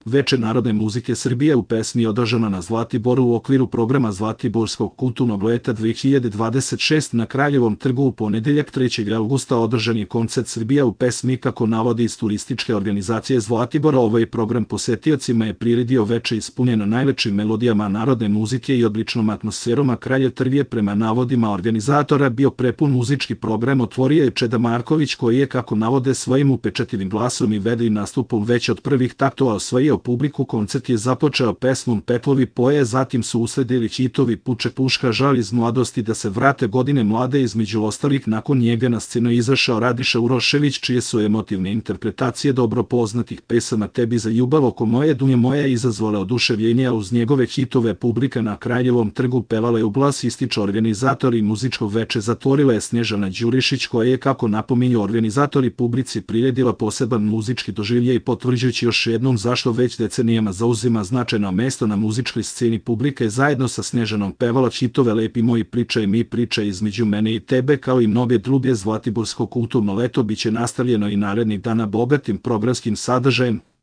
Veče narodne muzike Srbije u pesmi održano na Zlatiboru u okviru programa Zlatiborskog kulturnog leta 2026 na Kraljevom trgu u ponedeljak 3. avgusta održan je koncert Srbija u pesmi kako navodi iz turističke organizacije Zlatibora. Ovaj program posetiocima je priredio veče ispunjeno najlepšim melodijama narodne muzike i odličnom atmosferom, a Kraljev trg je prema navodima organizatora bio prepun. Muzički program otvorio je Čeda Marković, koji je, kako navode, svojim upečatljivim glasom i vedrim nastupom već od prvih taktova osvojio publiku. Koncert je započeo pesmom Petlovi poje, zatim su usledili hitovi Puče puška, Žal iz mladosti, Da se vrate godine mlade. Između ostalih, nakon njega na scenu izašao Radiša Urošević, čije su emotivne interpretacije dobro poznatih pesama Tebi za ljubav, Oko moje, Dunja moja izazvale oduševljenje, a uz njegove hitove publika na Kraljevom trgu pevala je u glas, ističe organizatori muzičkog veče. Zatvorila je Snježana Đurišić, koja je, kako napominju organizatori, publici priredila poseban muzički doživljaj, potvrđujući još jednom zašto već decenijama zauzima značajno mesto na muzičkoj sceni. Publika je zajedno sa Snježanom pevala hitove Lepi moji, Pričaj mi, Pričaj između mene i tebe, kao i mnoge druge. Zlatiborsko kulturno leto biće nastavljeno i narednih dana bogatim programskim sadržajem.